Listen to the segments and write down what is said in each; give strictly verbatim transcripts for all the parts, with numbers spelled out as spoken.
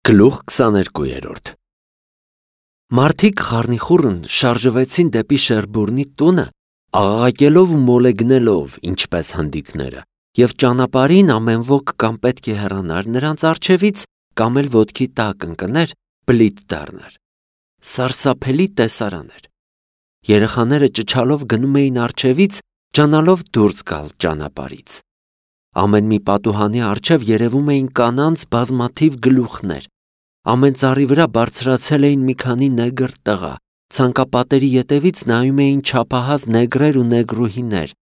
Գլուխ քսաներկու Մարդիկ խառնիխուռն շարժվեցին դեպի Շերբուրնի տունը, աղաղակելով ու մոլեգնելով, ինչպես հնդիկները, և ճանապարհին ամեն ոք կամ պետք է հեռանար նրանց առջևից, կամ էլ ոտքի տակ ընկներ, բլիթ դառներ։ Սարսափելի տեսարան էր։ Երեխաները ճչալով գնում էին առջևից, ջանալով դուրս գալ ճանապարհից։ Ամեն մի պատուհանի առջև երևում էին կանանց բազմաթիվ գլուխներ։ Ամեն ծառի վրա բարձրացել էին մի քանի նեգր տղա, ցանկապատերի ետևից նայում էին չափահաս նեգրեր ու նեգրուհիներ,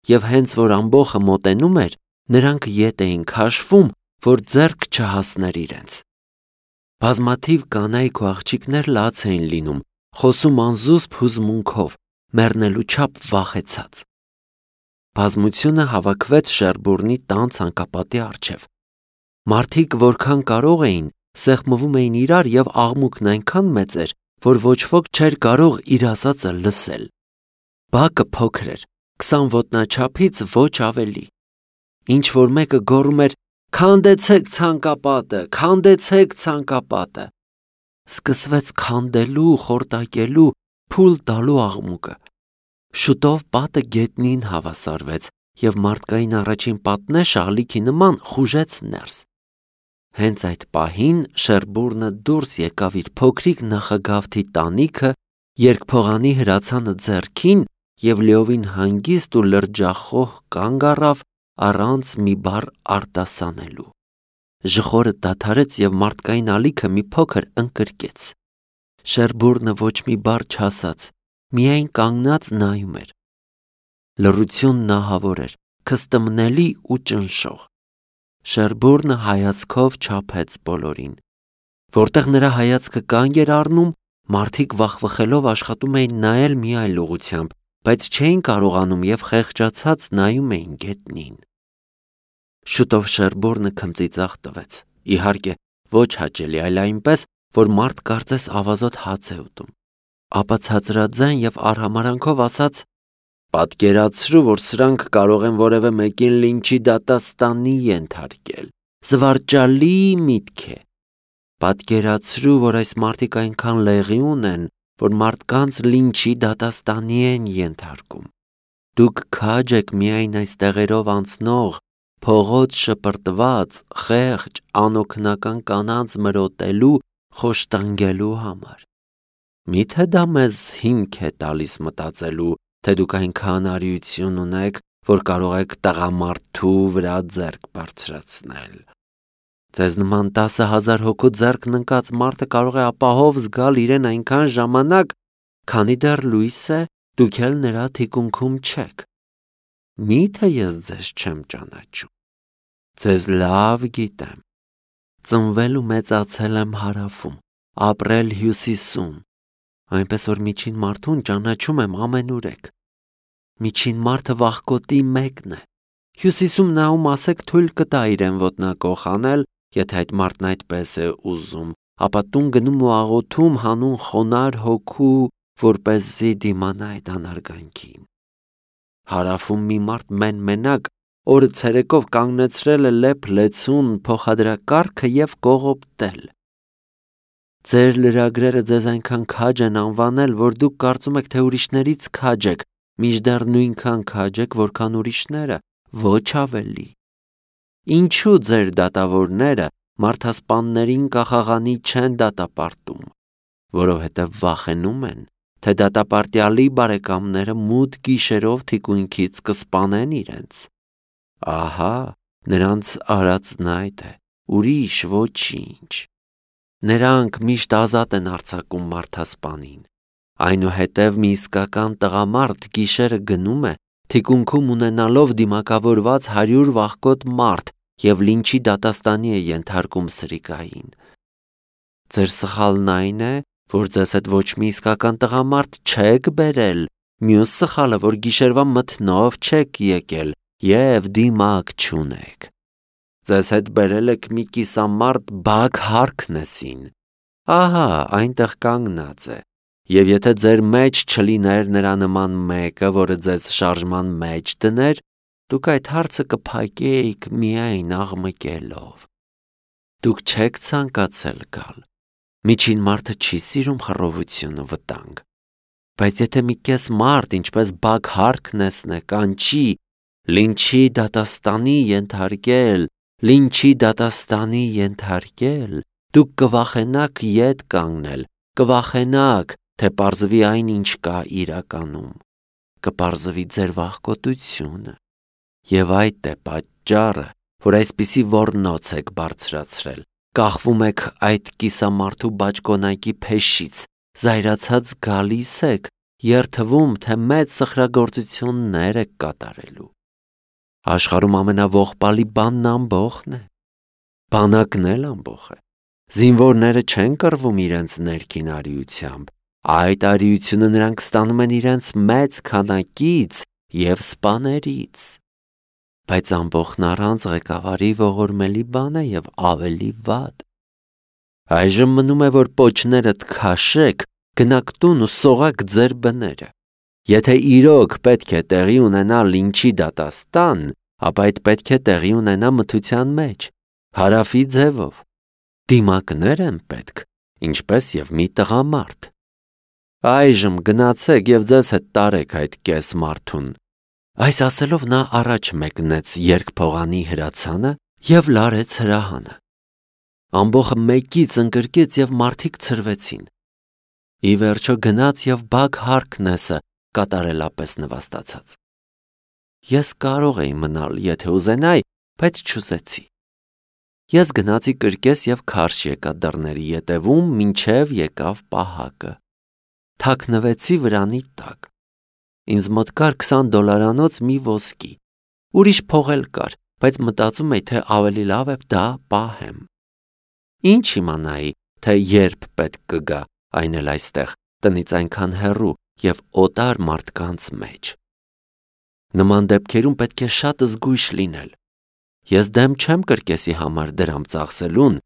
և հենց որ ամբոխը մոտենում էր, նրանք ետ էին քաշվում, որ ձեռք չհասներ իրենց։ Բազմաթիվ կանայք ու աղջիկներ լաց էին լինում, խոսում անզուսպ հուզմունքով, մեռնելու չափ վախեցած։ Բազմությունը հավաքվեց Շերբուրնի տան ցանկապատի առջև։ Մարդիկ որքան կարող էին, սեղմվում էին իրար, և աղմուկն այնքան մեծ էր, որ ոչ ոք չէր կարող իր ասածը լսել։ Բակը փոքր էր, քսան ոտնաչափից ոչ ավելի։ Ինչ որ մեկը գոռում էր. «Քանդեցեք ցանկապատը, քանդեցեք ցանկապատը»։ Սկսվեց քանդելու, խորտակելու, փուլ տալու աղմուկը։ Շուտով պատը գետնին հավասարվեց, և մարդկային առաջին պատնեշը ալիքի նման խուժեց ներս։ Հենց այդ պահին Շերբուրնը դուրս եկավ իր փոքրիկ նախագավթի տանիքը, երկփողանի հրացանը ձեռքին, և լիովին հանգիստ ու լրջախոհ կանգ առավ, առանց մի բառ արտասանելու։ Ժխորը դադարեց, և մարդկային ալիքը մի փոքր ընկրկեց։ Շերբուրնը ոչ մի բառ չասաց, միայն կանգնած նայում էր։ Լռությունն ահավոր էր, քստմնելի ու ճնշող։ Շերբուրնը հայացքով չափեց բոլորին։ Որտեղ նրա հայացքը կանգ էր առնում, մարդիկ վախվխելով աշխատում էին նայել մի այլ ուղղությամբ, բայց չէին կարողանում և խեղճացած նայում էին գետնին։ Շուտով Շերբուրնը քմծիծաղ տվեց, իհարկե, ոչ հաճելի, այլ այնպես, որ մարդ կարծես ավազոտ հաց է ուտում։ Ապա ցածրաձայն և արհամարհանքով ասաց. «Պատկերացրու, որ սրանք կարող են որևէ մեկին լինչի դատաստանի ենթարկել։ Զվարճալի միտք է։ Պատկերացրու, որ այս մարդիկ այնքան լեղի ունեն, որ մարդկանց լինչի դատաստանի են ենթարկում։ Դուք քաջ եք միայն այս տեղերով անցնող, փողոց շպրտված, խեղճ, անօգնական կանանց մրոտելու, խոշտանգելու համար։ Մի՞թե դա մեզ հիմք է տալիս մտածելու, թե դուք այնքան արիություն ունեք, որ կարող եք տղամարդու վրա ձեռք բարձրացնել։ Ձեզ նման տասը հազար հոգու ձեռքն ընկած մարդը կարող է ապահով զգալ իրեն այնքան ժամանակ, քանի դեռ լույս է, դուք էլ նրա թիկունքում չեք։ Մի՞թե ես ձեզ չեմ ճանաչում։ Ձեզ լավ գիտեմ։ Ծնվել ու մեծացել եմ հարավում, ապրել հյուսիսում, այնպես որ միջին մարդուն ճանաչում եմ ամենուրեք։ Միջին մարդը վախկոտի մեկն է։ Հյուսիսում նա ում ասեք թույլ կտա իրեն ոտնակոխ անել, եթե այդ մարդն այդպես է ուզում, ապա տուն գնում ու աղոթում հանուն խոնարհ հոգու, որպեսզի դիմանա այդ անարգանքին։ Հարավում մի մարդ մեն-մենակ օրը ցերեկով կանգնեցրել է լեփ-լեցուն փոխադրակառքը և կողոպտել։ Ձեր լրագրերը ձեզ այնքան քաջ են անվանել, որ դուք կարծում եք, թե ուրիշներից քաջ եք, մինչդեռ նույնքան քաջ եք, որքան ուրիշները, ոչ ավելի։ Ինչու ձեր դատավորները մարդասպաններին կախաղանի չեն դատապարտում, որովհետև վախենում են, թե դատապարտյալի բարեկամները մութ գիշերով թիկունքից կսպանեն իրենց։ Ահա, նրանց արածն այդ է, ուրիշ ոչինչ։ Նրանք միշտ ազատ են արձակում մարդասպանին։ Այնուհետև մի իսկական տղամարդ գիշերը գնում է, թիկունքում ունենալով դիմակավորված հարյուր վախկոտ մարդ, և լինչի դատաստանի է ենթարկում սրիկային։ Ձեր սխալն այն է, որ ձեզ հետ ոչ մի իսկական տղամարդ չեք բերել, մյուս սխալը, որ գիշերվա մթնով չեք եկել և դիմակ չունեք։ Ձեզ հետ բերել եք մի կիսամարդ Բաք Հարքնեսին։ Ահա, այնտեղ կանգնած է, և եթե ձեր մեջ չլիներ նրա նման մեկը, որը ձեզ շարժման մեջ դներ, դուք այդ հարցը կփակեիք միայն աղմկելով։ Դուք չեք ցանկացել գալ։ Միջին մարդը չի սիրում խռովություն ու վտանգ։ Բայց եթե մի կես մարդ, ինչպես Բագհարքնեսն է, կանչի լինչի դատաստանի ենթարկել, լինչի դատաստանի ենթարկել, դուք կվախենաք ետ կանգնել, կվախենաք, թե պարզվի այն, ինչ կա իրականում, կպարզվի ձեր վախկոտությունը, եւ այդ է պատճառը, որ այսպիսի ոռնոց եք բարձրացրել, կախվում եք այդ կիսամարդու բաճկոնակի փեշից, զայրացած գալիս եք, երթվում, թե մեծ սխրագործություններ եք կատարելու։ Աշխարհում ամենաողբալի բանն ամբոխն է, բանակն էլ ամբոխ է, զինվորները չեն կռվում իրենց ներքին արիությամբ, այդ արիությունը նրանք ստանում են իրենց մեծ քանակից և սպաներից, բայց ամբոխն առանց ղեկավարի ողորմելի բան է և ավելի վատ։ Այժմ մնում է, որ պոչներդ քաշեք, գնաք տուն ու սողաք ձեր բները։ Եթե իրոք պետք է տեղի ունենա լինչի դատաստան, ապա այդ պետք է տեղի ունենա մթության մեջ, հարավի ձևով։ Դիմակներ են պետք, ինչպես և մի տղամարդ։ Այժմ գնացեք և ձեզ հետ տարեք այդ կես մարդուն։ Այս ասելով նա առաջ մեկնեց երկփողանի հրացանը և լարեց հրահանը։ Ամբոխը մեկից ընկրկեց և մարդիկ ցրվեցին։ Ի վերջո գնաց և Բագհարքնեսը կատարելապես նվաստացած։ Ես կարող էի մնալ, եթե ուզենայի, բայց չուզեցի։ Ես գնացի կրկես և քարշ եկա դռների ետևում, մինչև եկավ պահակը։ Թաքնվեցի վրանի տակ։ Ինձ մոտ կար քսան դոլարանոց մի ոսկի։ Ուրիշ փող էլ կար, բայց մտածում էի, թե ավելի լավ է դա պահեմ։ Ինչ իմանայի, թե երբ պետք կգա, այն էլ այստեղ, տնից այնքան հեռու և օտար մարդկանց մեջ։ Նման դեպքերում պետք է շատ զգույշ լինել։ Ես դեմ չեմ կրկեսի համար դրամ ծախսելուն,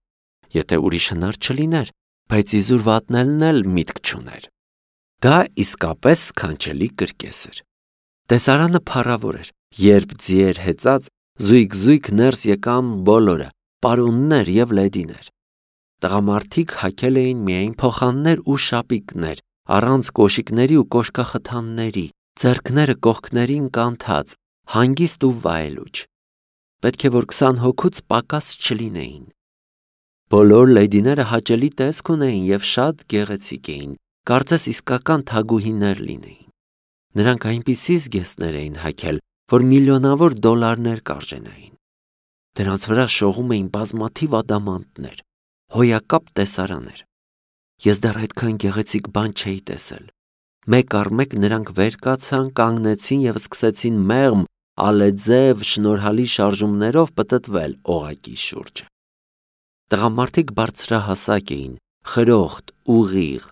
եթե ուրիշ հնար չլիներ, բայց իզուր վատնելն էլ միտք չուներ։ Դա իսկապես սքանչելի կրկես էր։ Տեսարանը փառավոր էր, երբ ձիեր հեծած զույգ-զույգ ներս եկան բոլորը, պարոններ և լեդիներ։ Տղամարդիկ հագել էին միայն փոխաններ ու շապիկներ, առանց կոշիկների ու կոշկախթանների, ձեռքները կողքներին կանթած, հանգիստ ու վայելուչ։ Պետք է որ քսան հոգուց պակաս չլինեին։ Բոլոր լեդիները հաճելի տեսք ունեին և շատ գեղեցիկ էին, կարծես իսկական թագուհիներ լինեին։ Նրանք այնպիսի զգեստներ էին հագել, որ միլիոնավոր դոլարներ կարժենային։ Դրանց վրա շողում էին բազմաթիվ ադամանդներ, հոյակապ տեսարաներ։ Ես դեռ այդքան գեղեցիկ բան չէի տեսել։ Մեկ առ մեկ նրանք վեր կացան, կանգնեցին և սկսեցին մեղմ, ալեձև, շնորհալի շարժումներով պտտվել օղակի շուրջը։ Տղամարդիկ բարձրահասակ էին, խրոխտ, ուղիղ,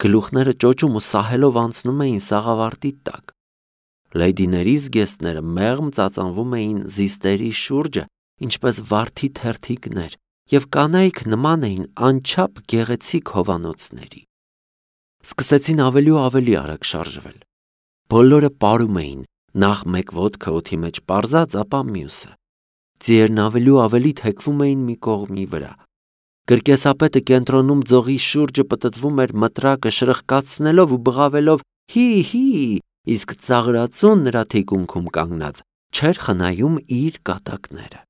գլուխները ճոճում ու սահելով անցնում էին սաղավարտի տակ։ Լեդիների զգեստները մեղմ ծածանվում էին զիստերի շուրջը, ինչպես վարդի թերթիկներ, և կանայք նման էին անչափ գեղեցիկ հովանոցների։ Սկսեցին ավելի ու ավելի արագ շարժվել։ Բոլորը պարում էին, նախ մեկ ոտքը օդի մեջ պարզած, ապա մյուսը։ Ձիերն ավելի ու ավելի թեքվում էին մի կողմի վրա։ Կրկեսապետը կենտրոնում ձողի շուրջը պտտվում էր մտրակը շրխկացնելով ու բղավելով հի՛, հի՛, իսկ ծաղրածուն նրա թիկունքում կանգնած չէր խնայում իր կատակները։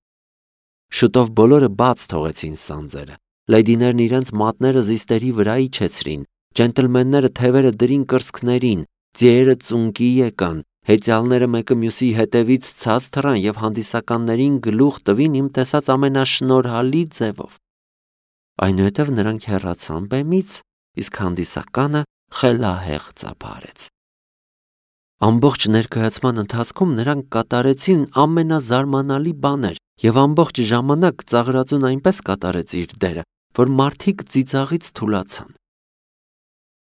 Շուտով բոլորը բաց թողեցին սանձերը, լեդիներն իրենց մատները զիստերի վրա իջեցրին, ջենտլմենները թևերը դրին կրծքներին, ձիերը ծունկի եկան, հեծյալները մեկը մյուսի հետևից ցած թռան և հանդիսականներին գլուխ տվին իմ տեսած ամենաշնորհալի ձևով։ Այնուհետև նրանք հեռացան բեմից, իսկ հանդիսականը խելահեղ ծափարեց։ Ամբողջ ներկայացման ընթացքում նրանք կատարեցին ամենազարմանալի բաներ, և ամբողջ ժամանակ ծաղրածուն այնպես կատարեց իր դերը, որ մարդիկ ծիծաղից թուլացան։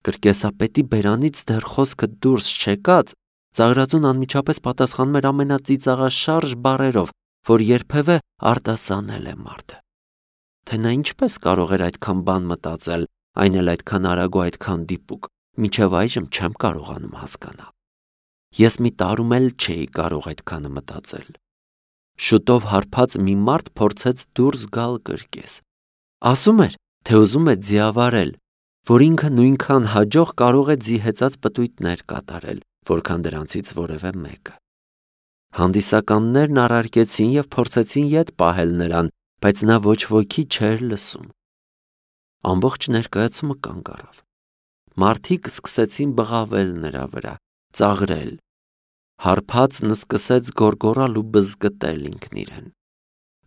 Կրկեսապետի բերանից դեռ խոսքը դուրս չեկած, ծաղրածուն անմիջապես պատասխանում էր ամենածիծաղաշարժ բառերով, որ երբևէ արտասանել է մարդը։ Թե նա ինչպես կարող էր այդքան բան մտածել, այն էլ այդքան արագ ու այդքան դիպուկ, մինչև այժմ չեմ կարողանում հասկանալ։ Ես մի տարում էլ չէի կարող այդքանը մտածել։ Շուտով հարբած մի մարդ փորձեց դուրս գալ կրկես, Ասում էր, թե ուզում է ձիավարել, որ ինքը նույնքան հաջող կարող է ձի հեծած պտույտներ կատարել, որքան դրանցից որևէ մեկը։ Հանդիսականներն առարկեցին և փորձեցին ետ պահել նրան, բայց նա ոչ ոքի չէր լսում։ Ամբողջ ներկայացումը կանգ առավ։ Մարդիկ սկսեցին բղավել նրա վրա, ծաղրել։ Հարբածն սկսեց գոռգոռալ ու բզկտել ինքն իրեն։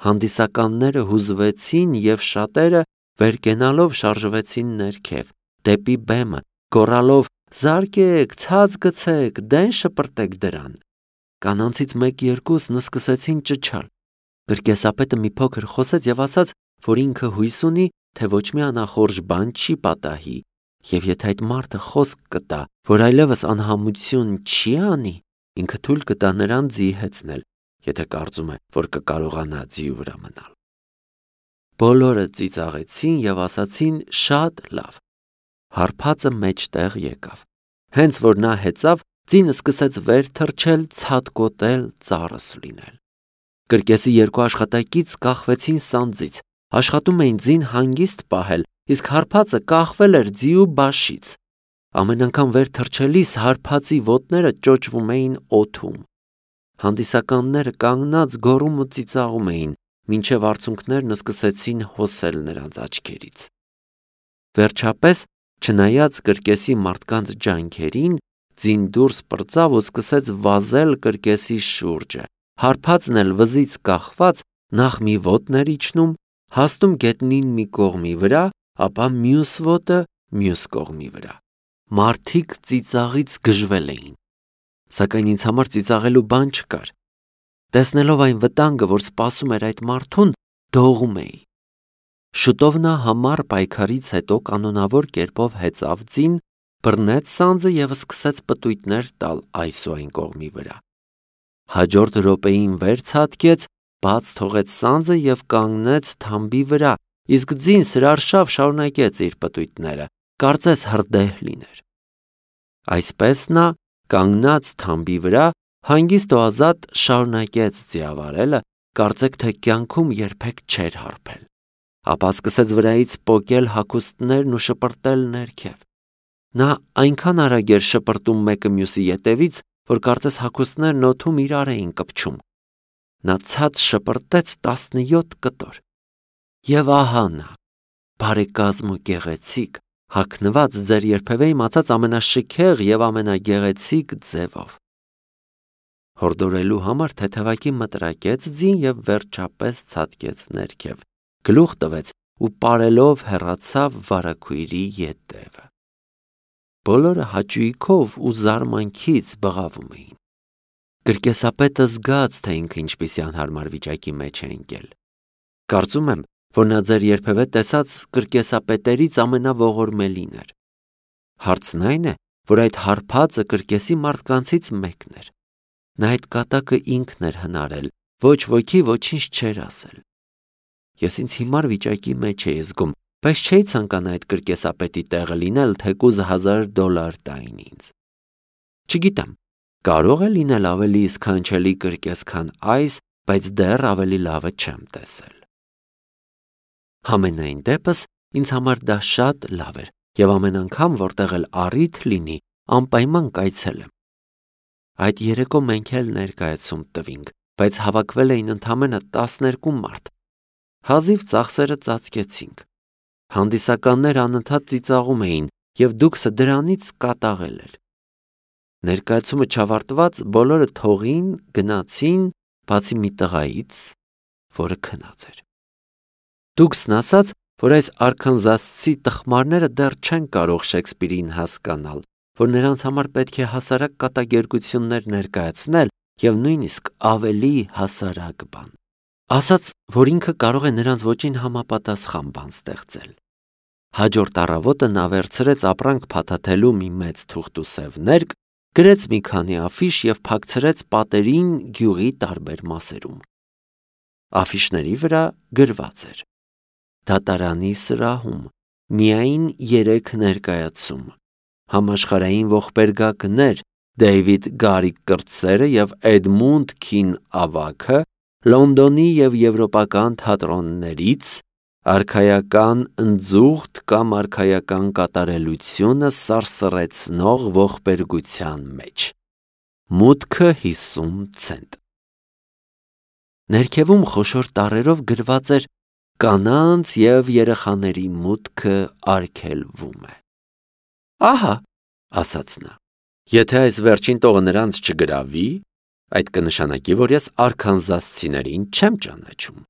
Հանդիսականները հուզվեցին և շատերը վեր կենալով շարժվեցին ներքև, դեպի բեմը, գոռալով «Զարկեք, ցած գցեք, դեն շպրտեք դրան»։ Կանանցից մեկ-երկուսն սկսեցին ճչալ։ Կրկեսապետը մի փոքր խոսեց և ասաց, որ ինքը հույս ունի, թե ոչ մի անախորժ բան չի պատահի, և եթե այդ մարդը խոսք կտա, որ այլևս անհամություն չի անի, ինքը թույլ կտա նրան ձի հեծնել, եթե կարծում է, որ կկարողանա ձիու վրա մնալ։ Բոլորը ծիծաղեցին և ասացին շատ լավ։ Հարբածը մեջտեղ եկավ։ Հենց որ նա հեծավ, ձին սկսեց վեր թռչել, ցատկոտել, ծառս լինել։ Կրկեսի երկու աշխատակից կախվեցին սանձից, աշխատում էին ձին հանգիստ պահել, իսկ հարբածը կախվել էր ձիու բաշից։ Ամեն անգամ վեր թռչելիս հարբածի ոտները ճոճվում էին օդում։ Հանդիսականները կանգնած գոռում ու ծիծաղում էին, մինչև արցունքներն սկսեցին հոսել նրանց աչքերից։ Վերջապես, չնայած կրկեսի մարդկանց ջանքերին, ձին դուրս պրծավ ու սկսեց վազել կրկեսի շուրջը։ Հարբածն էլ վզից կախված նախ մի ոտն էր իջնում, հասնում գետնին մի կողմի վրա, ապա մյուս ոտը մյուս կողմի վրա։ Մարդիկ ծիծաղից գժվել էին, սակայն ինձ համար ծիծաղելու բան չկար։ Տեսնելով այն վտանգը, որ սպասում էր այդ մարդուն, դողում էի։ Շուտով նա համառ պայքարից հետո կանոնավոր կերպով հեծավ ձին, բռնեց սանձը և սկսեց պտույտներ տալ այս ու այն կողմի վրա։ Հաջորդ րոպեին վեր ցատկեց, բաց թողեց սանձը և կանգնեց թամբի վրա, իսկ ձին սրարշավ շարունակեց իր պտույտները, կարծես հրդեհ լիներ։ Այսպես նա, կանգնած թամբի վրա, հանգիստ ու ազատ շարունակեց ձիավարելը, կարծեք թե կյանքում երբեք չէր հարբել։ Ապա սկսեց վրայից պոկել հագուստներն ու շպրտել ներքև։ Նա այնքան արագ էր շպրտում մեկը մյուսի ետևից, որ կարծես հագուստներն օդում իրար էին կպչում։ Նա ցած շպրտեց տասնյոթ կտոր։ Եվ ահա նա, բարեկազմ ու գեղեցիկ, հագնված ձեր երբևէ իմացած ամենաշքեղ և ամենագեղեցիկ ձևով։ Հորդորելու համար թեթևակի մտրակեց ձին և վերջապես ցատկեց ներքև, գլուխ տվեց ու պարելով հեռացավ վարագույրի ետևը։ Բոլորը հաճույքով ու զարմանքից բղավում էին։ Կրկեսապետը զգաց, թե ինքը ինչպիսի անհարմար վիճակի մեջ է ընկել։ Կարծում եմ, որ նա ձեր երբևէ տեսած կրկեսապետերից ամենաողորմելին էր։ Հարցն այն է, որ այդ հարբածը կրկեսի մարդկանցից մեկն էր։ Նա այդ կատակը ինքն էր հնարել, ոչ ոքի ոչինչ չէր ասել։ Ես ինձ հիմար վիճակի մեջ էի զգում, բայց չէի ցանկանա այդ կրկեսապետի տեղը լինել, թեկուզ հազար դոլար տային ինձ։ Չգիտեմ, կարող է լինել ավելի սքանչելի կրկես, քան այս, բայց դեռ ավելի լավը չեմ տեսել։ Համենայն դեպս, ինձ համար դա շատ լավ էր, և ամեն անգամ, որտեղ էլ առիթ լինի, անպայման կայցելեմ։ Այդ երեկո մենք էլ ներկայացում տվինք, բայց հավաքվել էին ընդամենը տասներկու մարդ։ Հազիվ ծախսերը ծածկեցինք։ Հանդիսականները անընդհատ ծիծաղում էին, և դուքսը դրանից կատաղել էր։ Ներկայացումը չավարտված, բոլորը թողին, գնացին, բացի մի տղայից, որը քնած էր։ Դուքսն ասաց, որ այս արքանզասցի տխմարները դեռ չեն կարող Շեքսպիրին հասկանալ, որ նրանց համար պետք է հասարակ կատակերգություններ ներկայացնել և նույնիսկ ավելի հասարակ բան։ Ասաց, որ ինքը կարող է նրանց ոճին համապատասխան բան ստեղծել։ Հաջորդ առավոտը նա վերցրեց ապրանք փաթաթելու մի մեծ թուղթուսև ներկ, գրեց մի քանի աֆիշ և փակցրեց պատերին գյուղի տարբեր մասերում։ Աֆիշների վրա գրված էր. դատարանի սրահում միայն երեք ներկայացում, համաշխարհային ողբերգակներ Դեյվիդ Գարիկ կրտսերը և Էդմունդ Քին ավագը Լոնդոնի և եվրոպական թատրոններից, արքայական ընձուղտ կամ արքայական կատարելությունը սարսռեցնող ողբերգության մեջ։ Մուտքը հիսուն ցենտ։ Ներքևում խոշոր տառերով գրված էր «Կանանց և երեխաների մուտքը արգելվում է»։ Ահա, ասաց նա, եթե այս վերջին տողը նրանց չգրավի, այդ կնշանակի, որ ես արքանզասցիներին չեմ ճանաչում։